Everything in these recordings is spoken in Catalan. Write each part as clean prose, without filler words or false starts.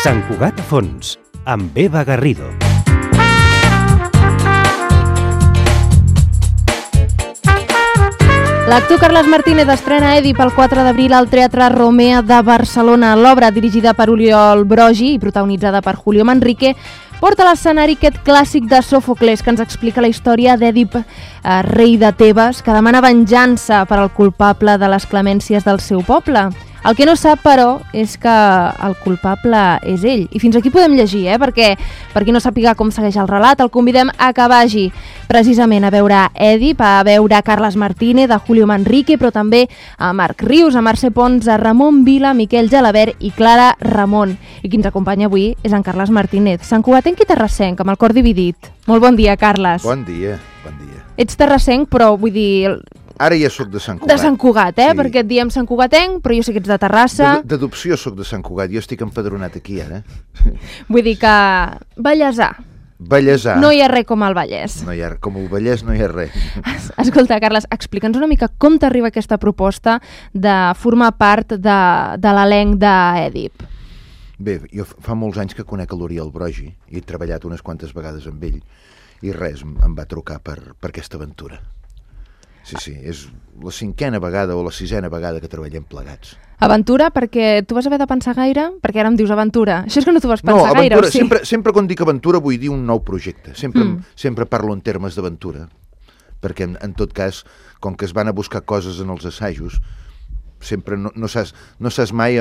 Sant Cugat a fons, amb Eva Garrido. L'actor Carles Martínez estrena Èdip el 4 d'abril al Teatre Romea de Barcelona. L'obra, dirigida per Oriol Brogi i protagonitzada per Julio Manrique, porta a l'escenari aquest clàssic de Sòfocles que ens explica la història d'Èdip, rei de Tebes, que demana venjança per al culpable de les clemències del seu poble. El que no sap, però, és que el culpable és ell. I fins aquí podem llegir, perquè per qui no sàpiga com segueix el relat, el convidem a que vagi precisament a veure Èdip, a veure Carles Martínez, a Julio Manrique, però també a Marc Rius, a Mercè Pons, a Ramon Vila, Miquel Gelabert i Clara Ramon. I qui ens acompanya avui és en Carles Martínez, santcugatenc i terrassenc, amb el cor dividit. Molt bon dia, Carles. Bon dia, bon dia. Ets terrassenc, però vull dir... Ara ja sóc de Sant Cugat. De Sant Cugat, sí. Perquè et diem Sant Cugatenc, però jo sé que ets de Terrassa. D'adopció sóc de Sant Cugat, jo estic empadronat aquí ara. Vull dir que... Vallèsà. Vallèsà. No hi ha res com el Vallès. No hi ha, com el Vallès no hi ha res. Escolta, Carles, explica'ns una mica com t'arriba aquesta proposta de formar part de l'elenc d'Èdip. Bé, jo fa molts anys que conec l'Oriol Brogi i he treballat unes quantes vegades amb ell i res, em va trucar per aquesta aventura. Sí, és la 5a vegada o la 6a vegada que treballem plegats. Aventura, perquè tu vas haver de pensar gaire? Perquè ara em dius aventura. Això és que no t'ho vas pensar gaire, aventura, o sí? Sempre quan dic aventura vull dir un nou projecte. Sempre parlo en termes d'aventura, perquè en tot cas, com que es van a buscar coses en els assajos, sempre no saps mai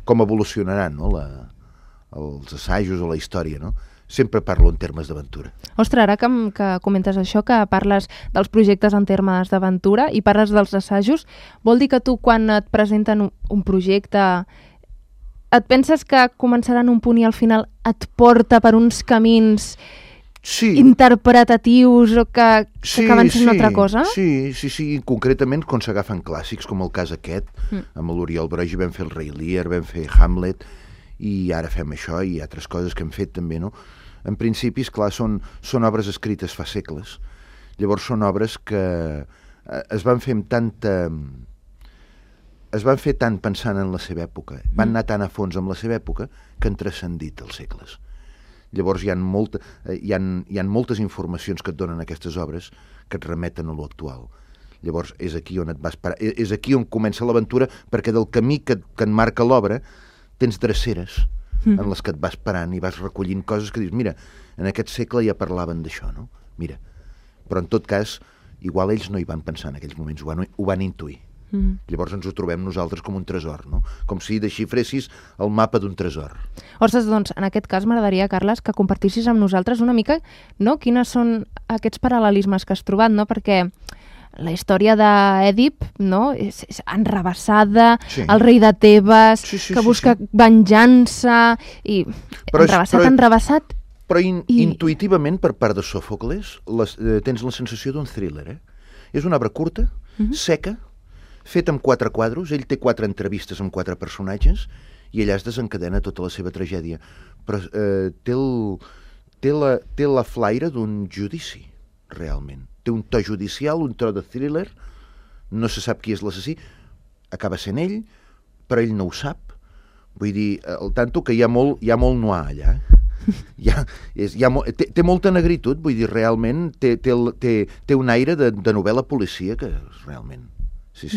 com evolucionaran, no? Els assajos o la història, no? Sempre parlo en termes d'aventura. Ostres, ara que comentes això, que parles dels projectes en termes d'aventura i parles dels assajos, vol dir que tu, quan et presenten un projecte, et penses que començaran un punt i al final et porta per uns camins interpretatius o que acaben sent una altra cosa? Sí. Concretament, quan s'agafen clàssics, com el cas aquest, amb l'Oriol Brogi vam fer el Rei Lear, vam fer Hamlet, i ara fem això i altres coses que hem fet també, no? En principi, esclar, són obres escrites fa segles. Llavors són obres que es van fer amb tanta... Es van fer tant pensant en la seva època, van anar tan a fons amb la seva època que han transcendit els segles. Llavors hi ha moltes informacions que et donen aquestes obres que et remeten a l'actual. Llavors és aquí on et vas parar, és aquí on comença l'aventura, perquè del camí que et marca l'obra tens dreceres en les que et vas parant i vas recollint coses que dius, mira, en aquest segle ja parlaven d'això, no? Mira. Però en tot cas, igual ells no hi van pensar en aquells moments, ho van intuir. Llavors ens ho trobem nosaltres com un tresor, no? Com si desxifressis el mapa d'un tresor. Ostres, doncs, en aquest cas m'agradaria, Carles, que compartissis amb nosaltres una mica, no?, quines són aquests paral·lelismes que has trobat, no? Perquè la història d'Èdip, no?, és enrevessada, el rei de Tebes, que busca venjança, i enrevessat. Però intuïtivament, per part de Sòfocles, tens la sensació d'un thriller, És una obra curta, seca, feta amb 4 quadros, ell té 4 entrevistes amb 4 personatges, i allà es desencadena tota la seva tragèdia. Però té la flaire d'un judici, realment. Té un to judicial, un to de thriller, no se sap qui és l'assassí, acaba sent ell, però ell no ho sap. Vull dir, al tanto que hi ha molt noir allà. Té molta negritud, vull dir, realment té un aire de novel·la policia que realment... Sí.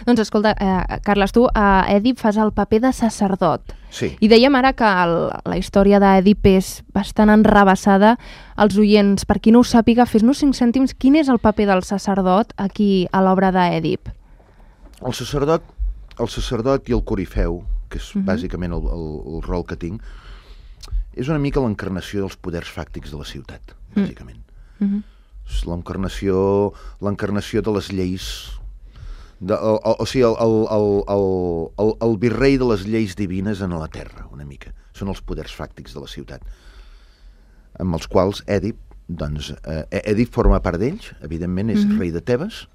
Doncs escolta, Carles, tu a Èdip fas el paper de sacerdot. Sí. I dèiem ara que la història d'Èdip és bastant enrevessada. Els oients, per qui no ho sàpiga, fes-nos 5 cèntims, quin és el paper del sacerdot aquí a l'obra d'Èdip? El sacerdot i el corifeu, que és bàsicament el rol que tinc, és una mica l'encarnació dels poders fàctics de la ciutat, bàsicament. És l'encarnació de les lleis... O sigui, el virrei de les lleis divines en la terra, una mica. Són els poders fàctics de la ciutat, amb els quals Èdip forma part d'ells, evidentment és rei de Tebes.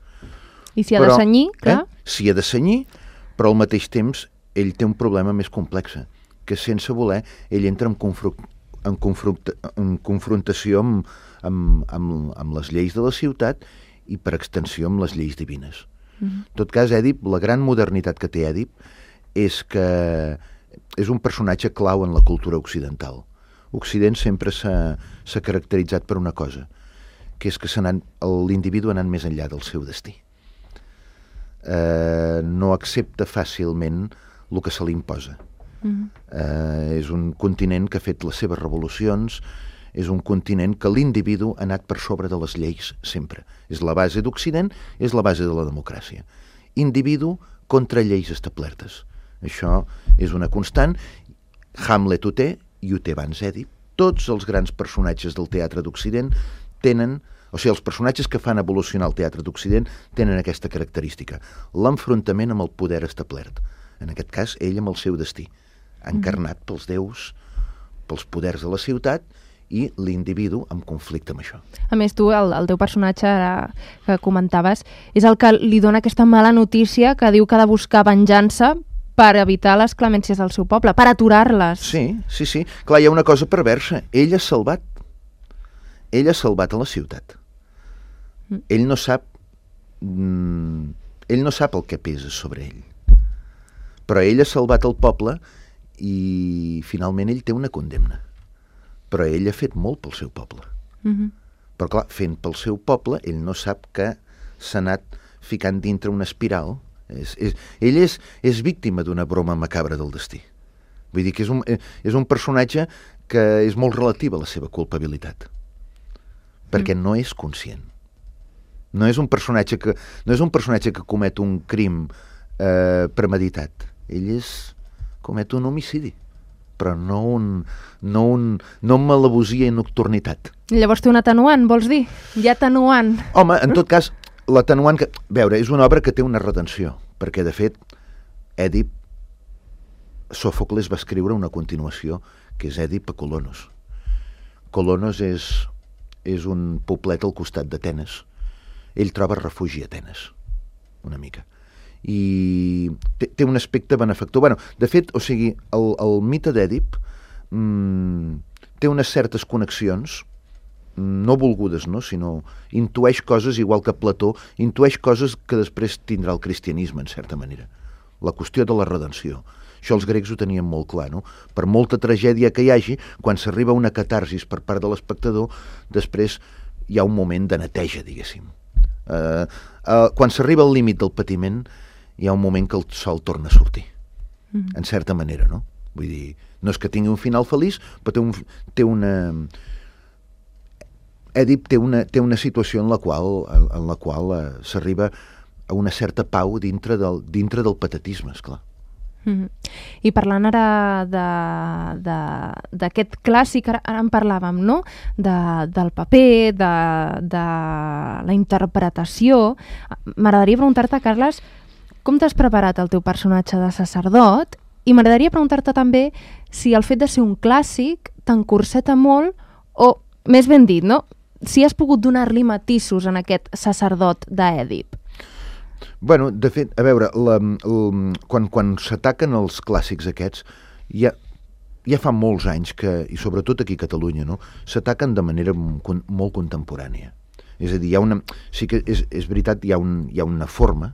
I s'hi ha de cenyir, clar. S'hi ha de cenyir, però al mateix temps ell té un problema més complex, que sense voler ell entra en en confrontació amb les lleis de la ciutat i per extensió amb les lleis divines. En tot cas, Èdip, la gran modernitat que té Èdip és que és un personatge clau en la cultura occidental. Occident sempre s'ha caracteritzat per una cosa, que és que l'individu ha anat més enllà del seu destí. No accepta fàcilment el que se li imposa. És un continent que ha fet les seves revolucions, és un continent que l'individu ha anat per sobre de les lleis sempre. És la base d'Occident, és la base de la democràcia. Individu contra lleis establertes. Això és una constant. Hamlet ho té, i ho té abans Èdip. Tots els grans personatges del teatre d'Occident tenen, o sigui, els personatges que fan evolucionar el teatre d'Occident tenen aquesta característica, l'enfrontament amb el poder establert. En aquest cas, ell amb el seu destí, encarnat pels déus, pels poders de la ciutat, i l'individu en conflicte amb això. A més, tu, el teu personatge que comentaves, és el que li dona aquesta mala notícia que diu que ha de buscar venjança per evitar les clemències del seu poble, per aturar-les. Sí. Clar, hi ha una cosa perversa. Ell ha salvat a la ciutat. Ell no sap el que pesa sobre ell. Però ell ha salvat el poble i finalment ell té una condemna. Però ell ha fet molt pel seu poble. Però clar, fent pel seu poble, ell no sap que s'ha anat ficant dintre una espiral. Ell és víctima d'una broma macabra del destí. Vull dir que és un personatge que és molt relatiu a la seva culpabilitat. Perquè no és conscient. No és un personatge que comet un crim premeditat. Ell comet un homicidi, però no malabosia i nocturnitat. Llavors té un atenuant, vols dir? Hi ha atenuant. Home, en tot cas, l'atenuant que... Veure, és una obra que té una redenció, perquè, de fet, Èdip, Sòfocles va escriure una continuació, que és Èdip a Colonos. Colonos és un poblet al costat d'Atenes. Ell troba refugi a Atenes, una mica. I té un aspecte benefactor. Bueno, de fet, o sigui, el mite d'Èdip té unes certes connexions, no volgudes, no? Sinó intueix coses, igual que Plató, intueix coses que després tindrà el cristianisme, en certa manera. La qüestió de la redenció. Això els grecs ho tenien molt clar, no? Per molta tragèdia que hi hagi, quan s'arriba a una catarsis per part de l'espectador, després hi ha un moment de neteja, diguéssim. Quan s'arriba al límit del patiment, hi ha un moment que el sol torna a sortir. En certa manera, no? Vull dir, no és que tingui un final feliç, però Èdip té una situació en la qual s'arriba a una certa pau dintre del patetisme, esclar. I parlant ara d'aquest clàssic, ara en parlàvem, no? Del paper, de la interpretació. M'agradaria preguntar-te, Carles, com t'has preparat el teu personatge de sacerdot? I m'agradaria preguntar-te també si el fet de ser un clàssic t'encorseta molt, o, més ben dit, no? Si has pogut donar-li matisos en aquest sacerdot d'Èdip. Bueno, de fet, a veure, quan s'ataquen els clàssics aquests, ja fa molts anys que, i sobretot aquí a Catalunya, no, s'ataquen de manera molt contemporània. És a dir, sí que és veritat, hi ha una forma,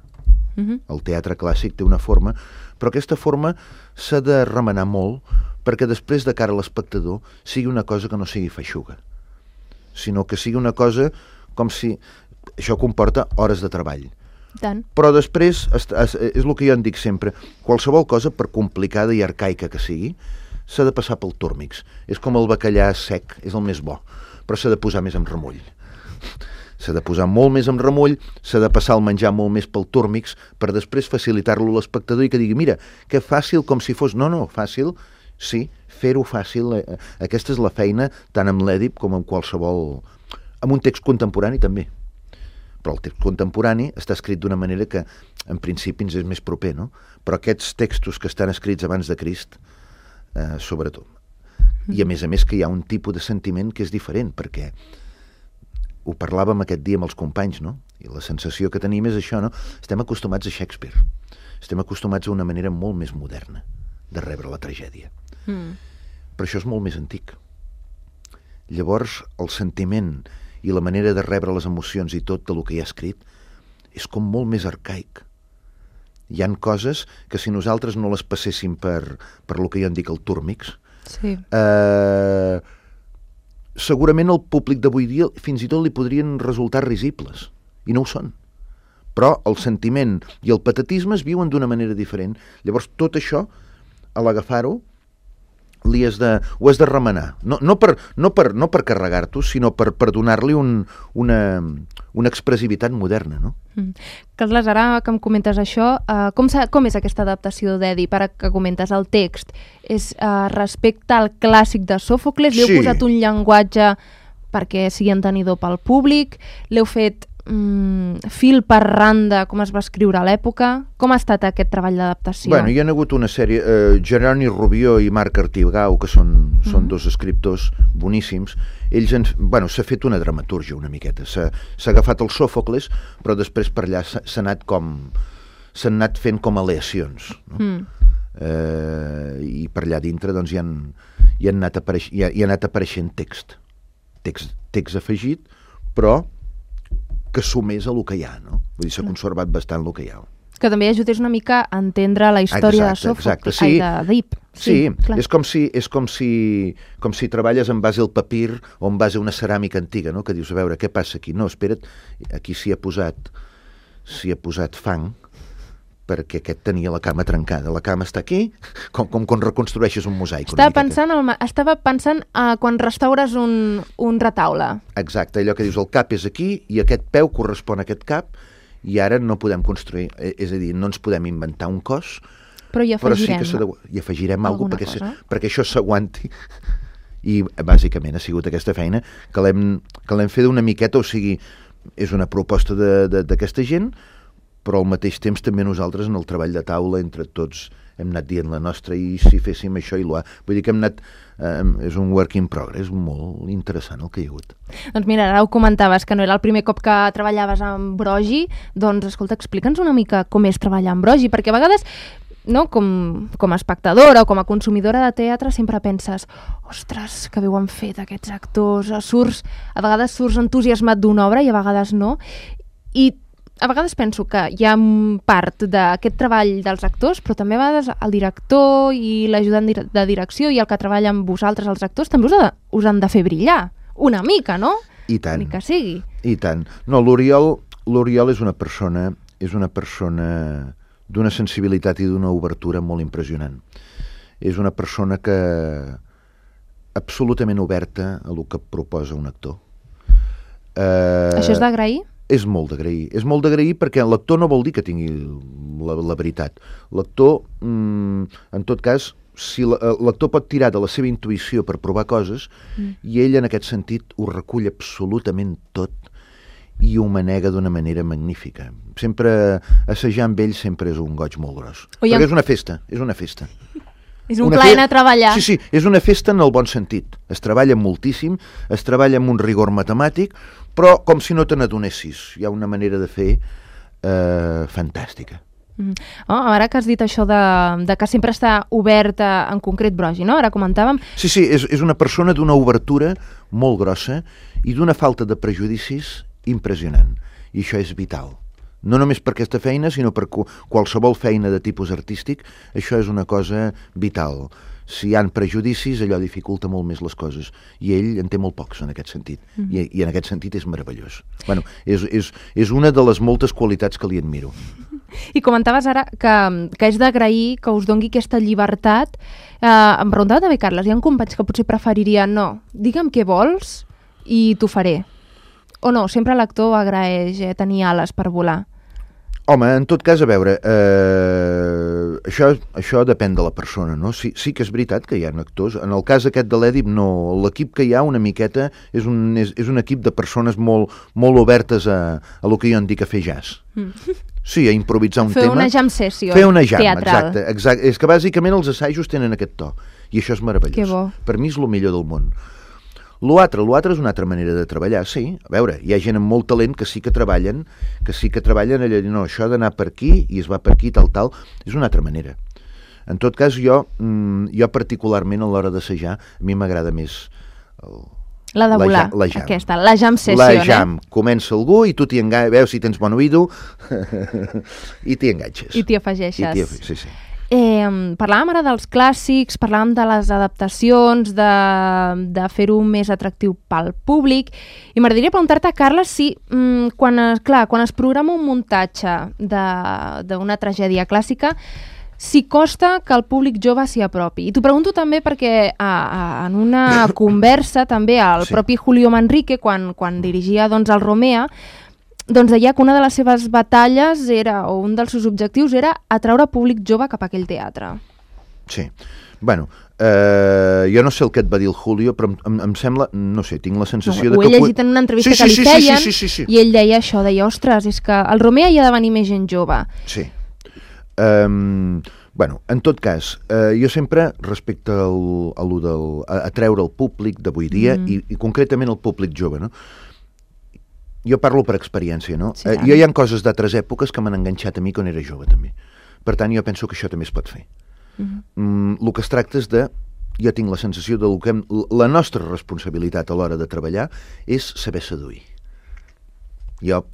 el teatre clàssic té una forma, però aquesta forma s'ha de remenar molt perquè després, de cara a l'espectador, sigui una cosa que no sigui feixuga, sinó que sigui una cosa com si... Això comporta hores de treball. Tant. Però després, és el que jo en dic sempre, qualsevol cosa, per complicada i arcaica que sigui, s'ha de passar pel túrmix. És com el bacallà sec, és el més bo, però s'ha de posar més amb remull. S'ha de posar molt més amb remull, s'ha de passar el menjar molt més pel túrmix, per després facilitar-lo a l'espectador i que digui, mira, que fàcil com si fos... No, fàcil, sí, fer-ho fàcil. Aquesta és la feina, tant amb l'Èdip com amb qualsevol... Amb un text contemporani també. Però el text contemporani està escrit d'una manera que en principi ens és més proper, no? Però aquests textos que estan escrits abans de Crist, sobretot. I a més que hi ha un tipus de sentiment que és diferent, perquè ho parlàvem aquest dia amb els companys, no? I la sensació que tenim és això, no? Estem acostumats a Shakespeare. Estem acostumats a una manera molt més moderna de rebre la tragèdia. Però això és molt més antic. Llavors, el sentiment i la manera de rebre les emocions i tot del que hi ha escrit és com molt més arcaic. Hi han coses que si nosaltres no les passéssim per lo que jo en dic el túrmix, Sí. Segurament al públic d'avui dia fins i tot li podrien resultar risibles, i no ho són. Però el sentiment i el patetisme es viuen d'una manera diferent. Llavors, tot això, a l'agafar-ho, ho has de remenar. No per carregar-t'ho, sinó per donar-li una expressivitat moderna, no? Carles, ara que em comentes això, com és aquesta adaptació d'Èdip? Ara que comentes el text, és respecte al clàssic de Sòfocles? Li heu posat un llenguatge perquè sigui entenidor pel públic? L'heu fet fil per randa, com es va escriure a l'època? Com ha estat aquest treball d'adaptació? Bueno, hi ha hagut una sèrie, Jeroni Rubió i Marc Artigau, que són dos escriptors boníssims. Ells s'ha fet una dramatúrgia una miqueta, s'ha agafat el Sòfocles, però després per allà s'han anat fent com aleacions, no? I per allà dintre doncs hi ha anat apareixent text afegit, però que sumés a lo que hi ha, no? Vull dir, s'ha conservat bastant lo que hi ha. Que també ajudés una mica a entendre la història de Sòfocles, d'Èdip. Sí, és com si treballes en base al papir o en base a una ceràmica antiga, no? Que dius, a veure, què passa aquí? No, espera't, aquí s'hi ha posat fang perquè aquest tenia la cama trencada. La cama està aquí, com quan reconstrueixes un mosaic. Estava pensant quan restaures un retaule. Exacte, allò que dius, el cap és aquí i aquest peu correspon a aquest cap i ara no podem construir, és a dir, no ens podem inventar un cos, però hi afegirem, hi afegirem alguna cosa perquè això s'aguanti. I bàsicament ha sigut aquesta feina que l'hem fet una miqueta, o sigui, és una proposta d'aquesta gent, però al mateix temps també nosaltres en el treball de taula entre tots hem anat dient la nostra i si féssim això i l'ha. Vull dir que hem anat, és un work in progress molt interessant el que hi ha hagut. Doncs mira, ara ho comentaves, que no era el primer cop que treballaves amb Brogi, doncs escolta, explica'ns una mica com és treballar amb Brogi, perquè a vegades, no, com a espectadora o com a consumidora de teatre sempre penses, ostres, que bé ho han fet aquests actors, a vegades surts entusiasmat d'una obra i a vegades no, i a vegades penso que hi ha part d'aquest treball dels actors, però també a vegades el director i l'ajudant de direcció i el que treballa amb vosaltres, els actors, també us han de fer brillar, una mica, no? I tant. Ni que sigui. I tant. No, l'Oriol és una persona d'una sensibilitat i d'una obertura molt impressionant. És una persona que absolutament oberta a el que proposa un actor. Això és d'agrair? És molt d'agrair. És molt d'agrair perquè l'actor no vol dir que tingui la veritat. L'actor, en tot cas, si l'actor pot tirar de la seva intuïció per provar coses i ell en aquest sentit ho recull absolutament tot i ho manega d'una manera magnífica. Sempre assajar amb ell sempre és un goig molt gros. Perquè és una festa. És un plaer anar a treballar. Sí, és una festa en el bon sentit. Es treballa moltíssim, es treballa amb un rigor matemàtic, però com si no te n'adonessis. Hi ha una manera de fer fantàstica. Ara que has dit això de que sempre està oberta, en concret Brogi, no? Ara comentàvem... Sí, és una persona d'una obertura molt grossa i d'una falta de prejudicis impressionant. I això és vital. No només per aquesta feina, sinó per qualsevol feina de tipus artístic, això és una cosa vital. Si hi ha prejudicis, allò dificulta molt més les coses. I ell en té molt pocs, en aquest sentit. I en aquest sentit és meravellós. Bueno, és una de les moltes qualitats que li admiro. I comentaves ara que és d'agrair que us dongui aquesta llibertat. Em preguntava també, Carles, hi ha companys que potser preferirien digue'm què vols i t'ho faré. O no, sempre l'actor agraeix tenir ales per volar. Home, en tot cas, a veure, això depèn de la persona, no? Sí que és veritat que hi ha actors. En el cas aquest de l'Èdip, no. L'equip que hi ha una miqueta és un equip de persones molt obertes a lo que jo en dic a fer jazz. Sí, a improvisar un tema. Fer una jam session teatral. Fer una jam, teatral. exacte. És que bàsicament els assajos tenen aquest to. I això és meravellós. Que bo. Per mi és el millor del món. L'altre és una altra manera de treballar, sí. A veure, hi ha gent amb molt talent que sí que treballen allò de no, això ha d'anar per aquí i es va per aquí, tal, és una altra manera. En tot cas, jo particularment a l'hora d'assajar, a mi m'agrada més La de volar, la jam. aquesta, la jam session, La jam. Comença algú i tu t'hi enganxes, veus si tens bon oïdo i t'hi enganxes. I t'hi afegeixes. Sí, sí. Parlàvem ara dels clàssics, parlàvem de les adaptacions, de fer-ho més atractiu pel públic, i m'agradaria preguntar-te, Carles, si quan es programa un muntatge d'una tragèdia clàssica, si costa que el públic jove s'hi apropi. I t'ho pregunto també perquè en una conversa també el propi Julio Manrique, quan dirigia el Romea, deia que una de les seves batalles o un dels seus objectius era atraure públic jove cap a aquell teatre. Sí. Bueno, jo no sé el que et va dir el Julio, però em sembla, no sé, tinc la sensació de que... Ho he llegit en una entrevista que li feien i ell deia això, ostres, és que al Romea hi ha de venir més gent jove. Sí. Bueno, en tot cas, jo sempre respecte a treure el públic d'avui dia i concretament el públic jove, no? Jo parlo per experiència, no? Sí, jo hi ha coses d'altres èpoques que m'han enganxat a mi quan era jove, també. Per tant, jo penso que això també es pot fer. El que es tracta és de... Jo tinc la sensació de que la nostra responsabilitat a l'hora de treballar és saber seduir. Jo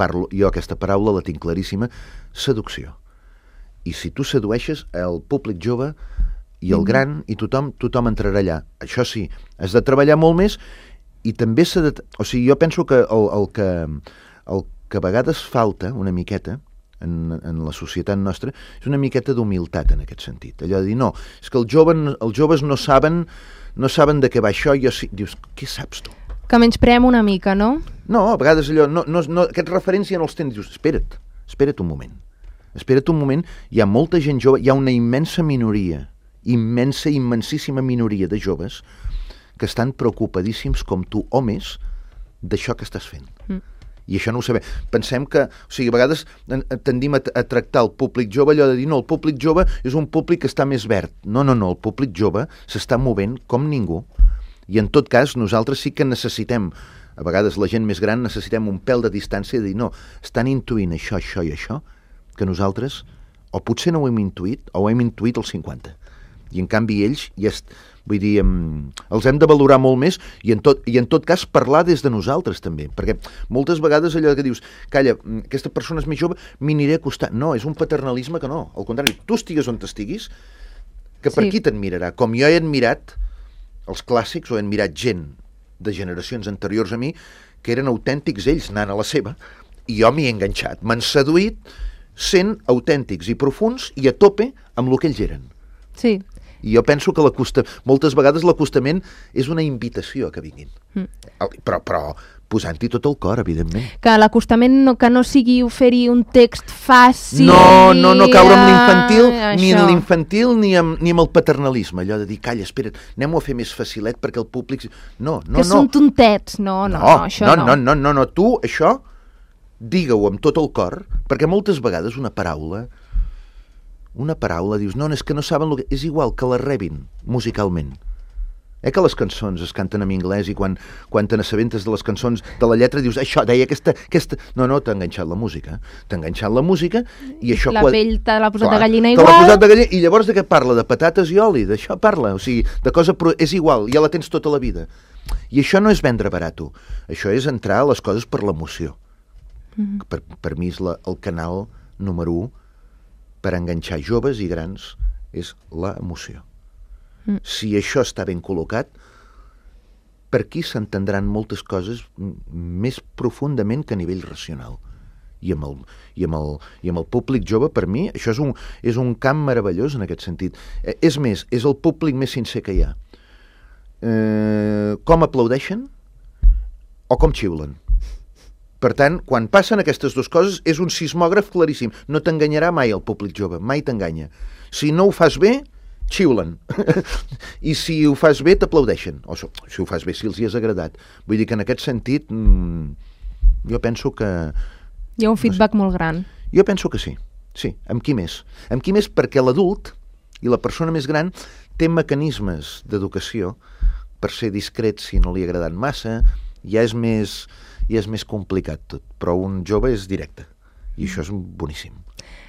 aquesta paraula la tinc claríssima, seducció. I si tu sedueixes el públic jove i el gran i tothom entrarà allà. Això sí, has de treballar molt més i també s'ha de... O sigui, jo penso que el que a vegades falta una miqueta en la societat nostra és una miqueta d'humilitat en aquest sentit. Allò de dir, no, és que els joves no saben de què va això, i dius, què saps tu? Que menyspreem una mica, no? No, a vegades allò, aquests referents ja no els tens, dius, espera't un moment. Espera't un moment, hi ha molta gent jove, hi ha una immensa minoria, immensíssima minoria de joves que estan preocupadíssims com tu o més d'això que estàs fent. I això no ho sabem. Pensem que, o sigui, a vegades tendim a tractar el públic jove allò de dir, no, el públic jove és un públic que està més verd. No, el públic jove s'està movent com ningú. I en tot cas, nosaltres sí que necessitem, a vegades la gent més gran necessitem un pèl de distància i dir, no, estan intuint això i això, que nosaltres o potser no ho hem intuït o ho hem intuït al 50. I en canvi ells, vull dir, els hem de valorar molt més i en tot cas parlar des de nosaltres també, perquè moltes vegades allò que dius, calla, aquesta persona és més jove, m'hi aniré a acostar. No, és un paternalisme que no, al contrari, tu estigues on t'estiguis, que per qui t'admirarà? Com jo he admirat els clàssics o he admirat gent de generacions anteriors a mi que eren autèntics ells anant a la seva i jo m'hi he enganxat, m'han seduït sent autèntics i profuns i a tope amb el que ells eren. Sí. I jo penso que moltes vegades l'acostament és una invitació a que vinguin. Però posant-hi tot el cor, evidentment. Que l'acostament que no sigui oferir un text fàcil... No caure en l'infantil, ni en l'infantil ni amb el paternalisme, allò de dir, calla, espera't, anem-ho a fer més facilet perquè el públic... No. Que són tontets, això no. No, tu això digue-ho amb tot el cor, perquè moltes vegades una paraula dius, no, és que no saben el que... És igual que la rebin musicalment. Que les cançons es canten en anglès i quan te n'assabentes de les cançons de la lletra dius, això, deia aquesta... No, t'ha enganxat la música. I això... La pell te l'ha posat de gallina igual. Te l'ha posat de gallina, i llavors de què parla? De patates i oli, d'això parla. O sigui, de cosa... És igual, ja la tens tota la vida. I això no és vendre barato. Això és entrar a les coses per l'emoció. Per mi és el canal número 1 per enganxar joves i grans és l'emoció. Si això està ben col·locat, per aquí s'entendran moltes coses més profundament que a nivell racional. I amb el públic jove, per mi, això és un camp meravellós en aquest sentit. És més, és el públic més sincer que hi ha. Com aplaudeixen o com xiulen. Per tant, quan passen aquestes dues coses, és un sismògraf claríssim. No t'enganyarà mai el públic jove, mai t'enganya. Si no ho fas bé, xiulen. I si ho fas bé, t'aplaudeixen. O si ho fas bé, si els hi has agradat. Vull dir que en aquest sentit, jo penso que... Hi ha un feedback molt gran. Jo penso que sí. Sí, amb qui més? Amb qui més perquè l'adult i la persona més gran té mecanismes d'educació per ser discret si no li ha agradat massa, ja és més complicat tot, però un jove és directe I això és boníssim.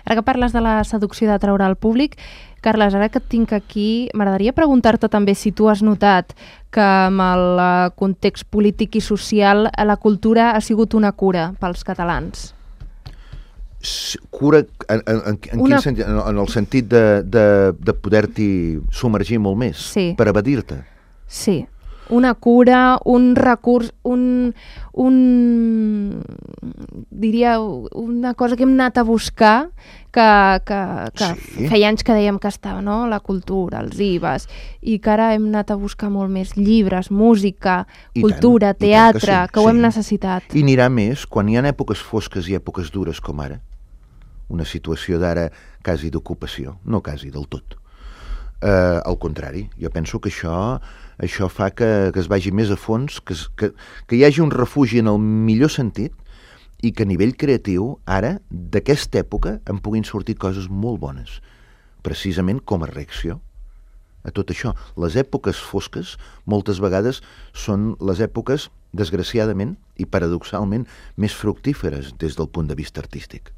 Ara que parles de la seducció d'atraure al públic, Carles, ara que et tinc aquí, m'agradaria preguntar-te també si tu has notat que amb el context polític i social la cultura ha sigut una cura pels catalans. Cura en quin sentit? En el sentit de poder-t'hi submergir molt més, sí, per evadir-te. Sí, una cura, un recurs, diria una cosa que hem anat a buscar que sí, feia anys que dèiem que estava, no? La cultura, els IVAs, i que ara hem anat a buscar molt més llibres, música, cultura, teatre, que ho hem necessitat. I anirà més quan hi ha èpoques fosques i èpoques dures com ara, una situació d'ara quasi d'ocupació, no quasi del tot. Al contrari, jo penso que això fa que es vagi més a fons, que hi hagi un refugi en el millor sentit, i que a nivell creatiu, ara, d'aquesta època, en puguin sortir coses molt bones, precisament com a reacció a tot això. Les èpoques fosques, moltes vegades, són les èpoques, desgraciadament i paradoxalment, més fructíferes des del punt de vista artístic.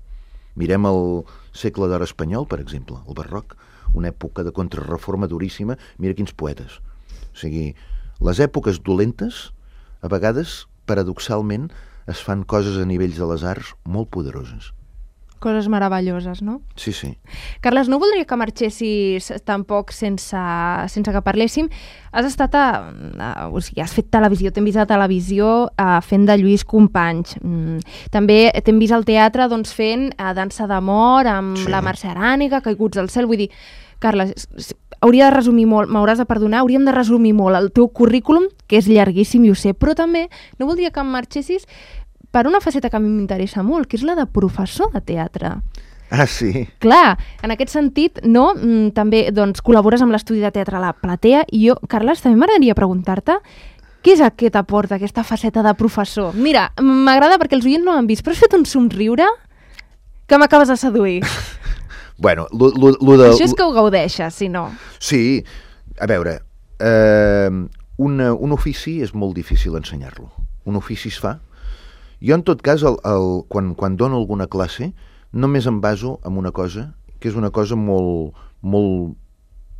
Mirem el segle d'or espanyol, per exemple, el barroc, una època de contrarreforma duríssima, mira quins poetes. O sigui, les èpoques dolentes, a vegades, paradoxalment, es fan coses a nivells de les arts molt poderoses. Coses meravelloses, no? Sí, sí. Carles, no voldria que marxessis tampoc sense que parléssim. Has estat o sigui, has fet televisió, t'hem vist a televisió fent de Lluís Companys. També t'hem vist al teatre fent Dansa d'amor amb la Mercè Arànega, Caiguts al cel. Vull dir, Carles, hauria de resumir molt, m'hauràs de perdonar, hauríem de resumir molt el teu currículum, que és llarguíssim i ho sé, però també no voldria que em marxessis per una faceta que a mi m'interessa molt, que és la de professor de teatre. Ah, sí? Clar, en aquest sentit, no? També col·labores amb l'estudi de teatre a la Platea, i jo, Carles, també m'agradaria preguntar-te què és el que t'aporta aquesta faceta de professor? Mira, m'agrada perquè els oients no m'han vist, però has fet un somriure que m'acabes de seduir. Bueno, això és que ho gaudeixes, si no. Sí, a veure, un ofici és molt difícil ensenyar-lo. Un ofici es fa. Jo, en tot cas, quan dono alguna classe, només em baso en una cosa, que és una cosa molt, molt,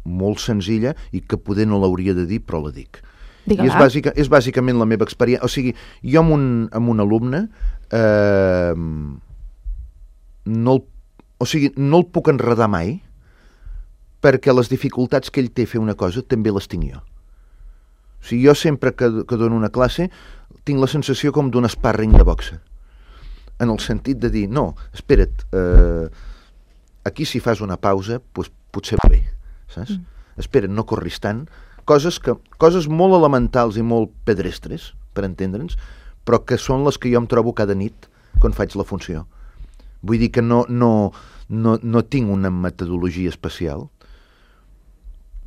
molt senzilla i que poder no l'hauria de dir, però la dic. I és bàsicament la meva experiència. O sigui, jo amb un alumne no el puc enredar mai, perquè les dificultats que ell té a fer una cosa també les tinc jo. O sigui, jo sempre que dono una classe tinc la sensació com d'un sparring de boxa, en el sentit de dir, no, espera't, aquí si fas una pausa, doncs potser va bé, saps? Espera't, no corris tant. Coses molt elementals i molt pedrestres, per entendre'ns, però que són les que jo em trobo cada nit quan faig la funció. Vull dir que no tinc una metodologia especial,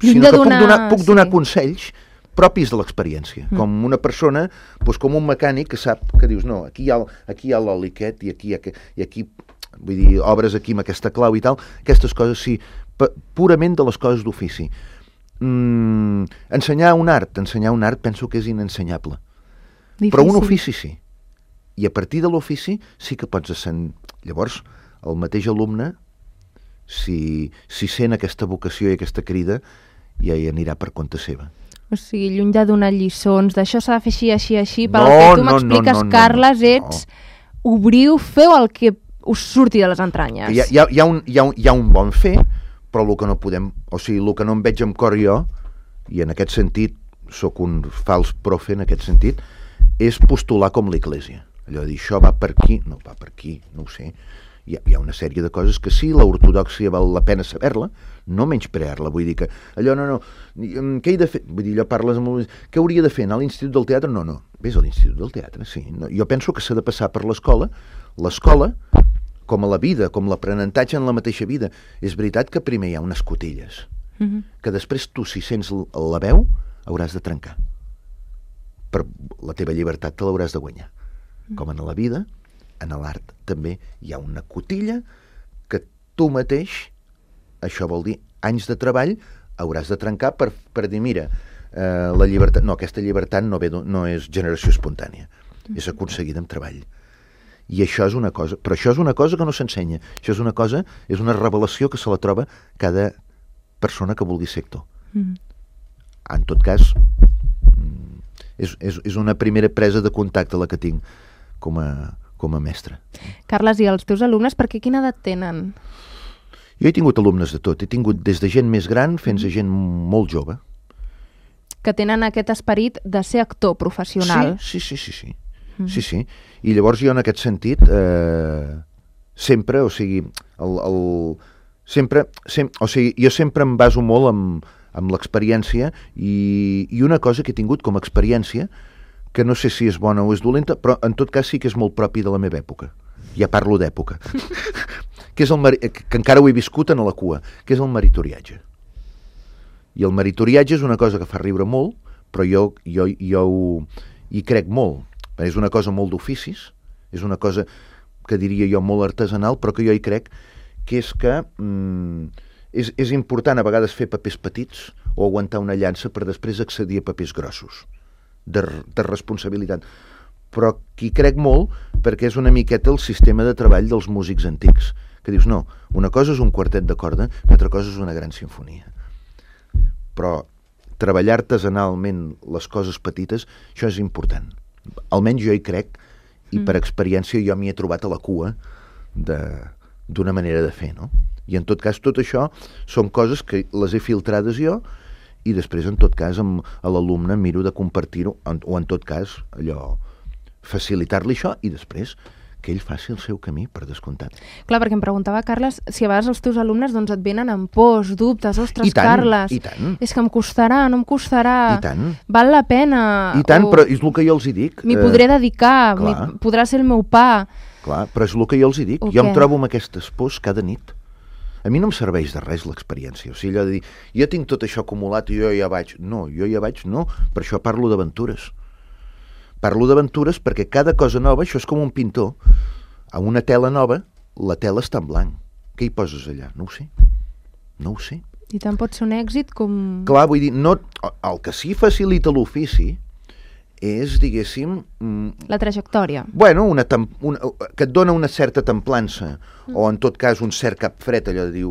sinó que puc donar consells propis de l'experiència, com una persona, doncs com un mecànic que sap, que dius, no, aquí hi ha l'oli aquest i aquí, vull dir, obres aquí amb aquesta clau i tal, aquestes coses sí, purament de les coses d'ofici. Ensenyar un art penso que és inensenyable. Difícil. Però un ofici sí. I a partir de l'ofici sí que pots llavors, el mateix alumne, si sent aquesta vocació i aquesta crida, ja hi anirà per compte seva. O sigui, lluny de donar lliçons, d'això s'ha de fer així, pel que tu m'expliques, Carles, ets obriu, feu el que us surti de les entranyes. Hi ha un bon fer, però el que no podem, o sigui, el que no em veig amb cor jo, i en aquest sentit sóc un fals profe en aquest sentit, és postular com l'Església. Allò de dir, això va per aquí, no va per aquí, no ho sé. Hi ha una sèrie de coses que sí, l'ortodòxia val la pena saber-la, no menysprear-la, vull dir que allò què he de fer? Vull dir, allò parles amb què hauria de fer, anar a l'Institut del Teatre? No, vés a l'Institut del Teatre, sí. No, jo penso que s'ha de passar per l'escola, com a la vida, com l'aprenentatge en la mateixa vida. És veritat que primer hi ha unes cotilles, que després tu, si sents la veu, hauràs de trencar. Per la teva llibertat te l'hauràs de guanyar. Com en la vida, en l'art també hi ha una cotilla que tu mateix, això vol dir anys de treball, hauràs de trencar per dir, mira, la llibertat, no, aquesta llibertat no és generació espontània, és aconseguida amb treball. I això és una cosa, però això és una cosa que no s'ensenya. Això és una cosa, és una revelació que se la troba cada persona que vulgui ser actor. En tot cas, és una primera presa de contacte la que tinc com a mestre. Carles, i els teus alumnes, per quina edat tenen? Jo he tingut alumnes de tot. He tingut des de gent més gran fins a gent molt jove. Que tenen aquest esperit de ser actor professional. Sí. Sí. I llavors jo en aquest sentit sempre, o sigui, jo sempre em baso molt amb l'experiència i una cosa que he tingut com a experiència, que no sé si és bona o és dolenta, però en tot cas sí que és molt propi de la meva època. Ja parlo d'època. Que encara ho he viscut a la cua, que és el meritoriatge. I el meritoriatge és una cosa que fa riure molt, però jo hi crec molt. És una cosa molt d'oficis, és una cosa que diria jo molt artesanal, però que jo hi crec que és que és important a vegades fer papers petits o aguantar una llança per després accedir a papers grossos, de responsabilitat. Però qui crec molt perquè és una miqueta el sistema de treball dels músics antics, que dius, no, una cosa és un quartet de corda, una altra cosa és una gran simfonia. Però treballar artesanalment les coses petites, això és important. Almenys jo hi crec, i per experiència jo m'hi he trobat a la cua d'una manera de fer, no? I en tot cas tot això són coses que les he filtrades jo i després en tot cas a l'alumne miro de compartir-ho o en tot cas allò facilitar-li això i després que ell faci el seu camí, per descomptat. Clar, perquè em preguntava, Carles, si a vegades els teus alumnes doncs, et venen amb pors, dubtes, ostres, Carles, i tant. És que em costarà, no em costarà, I tant. Val la pena. I tant, però és el que jo els hi dic. M'hi podré dedicar, podrà ser el meu pa. Clar, però és el que jo els hi dic. Jo em trobo amb aquestes pors cada nit. A mi no em serveix de res l'experiència. O sigui, allò de dir, jo tinc tot això acumulat i jo ja vaig. No, per això parlo d'aventures. Parlo d'aventures perquè cada cosa nova, això és com un pintor. A una tela nova, la tela està en blanc. Què hi poses allà? No ho sé. I tant pot ser un èxit com... Clar, vull dir, el que sí facilita l'ofici és, diguéssim... La trajectòria. Bueno, que et dona una certa templança, o en tot cas un cert cap fred, allò de dir,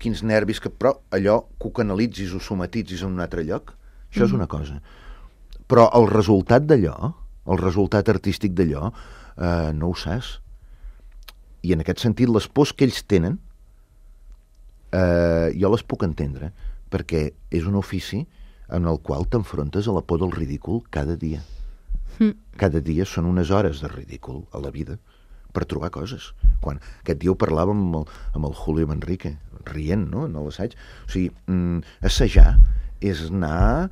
quins nervis, però allò que ho canalitzis o somatitzis en un altre lloc, això és una cosa. Però el resultat d'allò, el resultat artístic d'allò, no ho saps. I en aquest sentit, les pors que ells tenen, jo les puc entendre, perquè és un ofici en el qual t'enfrontes a la por del ridícul cada dia. Cada dia són unes hores de ridícul a la vida per trobar coses. Aquest dia ho parlàvem amb el Julio Manrique, rient, no?, en l'assaig. O sigui, assajar és anar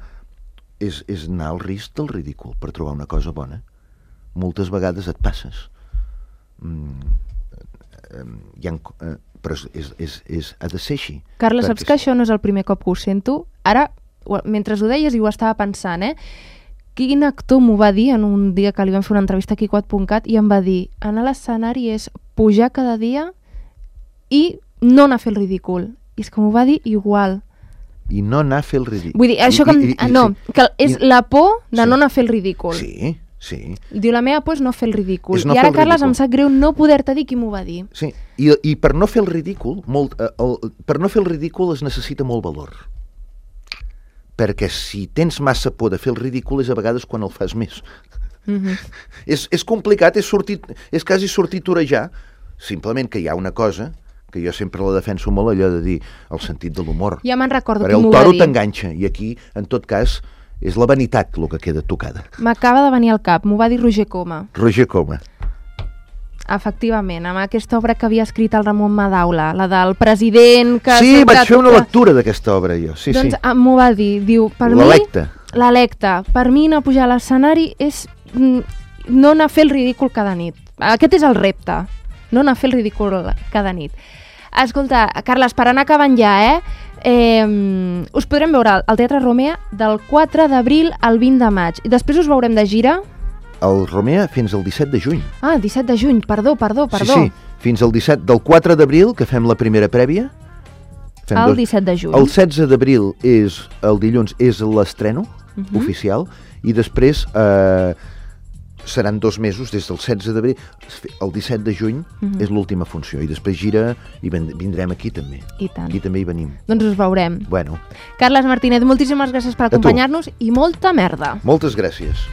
al risc del ridícul per trobar una cosa bona. Moltes vegades et passes. Però ha de ser així. Carles, saps que això no és el primer cop que ho sento? Ara, mentre ho deies i ho estava pensant, quin actor m'ho va dir en un dia que li vam fer una entrevista aquí a Quat.cat i em va dir, anar a l'escenari és pujar cada dia i no anar a fer el ridícul. I és que m'ho va dir igual. I no anar a fer el ridícul. Vull dir, això que és la por de no anar a fer el ridícul. Sí. Diu, la meva por és no fer el ridícul. I ara, Carles, em sap greu no poder-te dir qui m'ho va dir. Sí, i per no fer el ridícul, per no fer el ridícul es necessita molt valor. Perquè si tens massa por de fer el ridícul és a vegades quan el fas més. És complicat, és quasi sortir a torejar, simplement que hi ha una cosa que jo sempre la defenso molt, allò de dir el sentit de l'humor. Ja me'n recordo qui m'ho va dir. El toro t'enganxa, i aquí, en tot cas, és la vanitat el que queda tocada. M'acaba de venir al cap, m'ho va dir Roger Coma. Roger Coma. Efectivament, amb aquesta obra que havia escrit el Ramon Madaula, la del president que... Sí, vaig fer una lectura d'aquesta obra, jo. Doncs m'ho va dir, diu, per mi... L'electe. Per mi no pujar a l'escenari és no anar a fer el ridícul cada nit. Aquest és el repte, no anar a fer el ridícul cada nit. Escolta, Carles, per anar acabant ja, us podrem veure al Teatre Romea del 4 d'abril al 20 de maig. I després us veurem de gira... El Romea fins al 17 de juny. Ah, 17 de juny, perdó. Sí, fins al 17, del 4 d'abril, que fem la primera prèvia. El 17 de juny. El 16 d'abril, el dilluns, és l'estreno oficial, i després seran 2 mesos, des del 16 d'abril, el 17 de juny és l'última funció, i després gira i vindrem aquí també. I tant. Aquí també hi venim. Doncs us veurem. Bueno. Carles Martínez, moltíssimes gràcies per acompanyar-nos i molta merda. Moltes gràcies.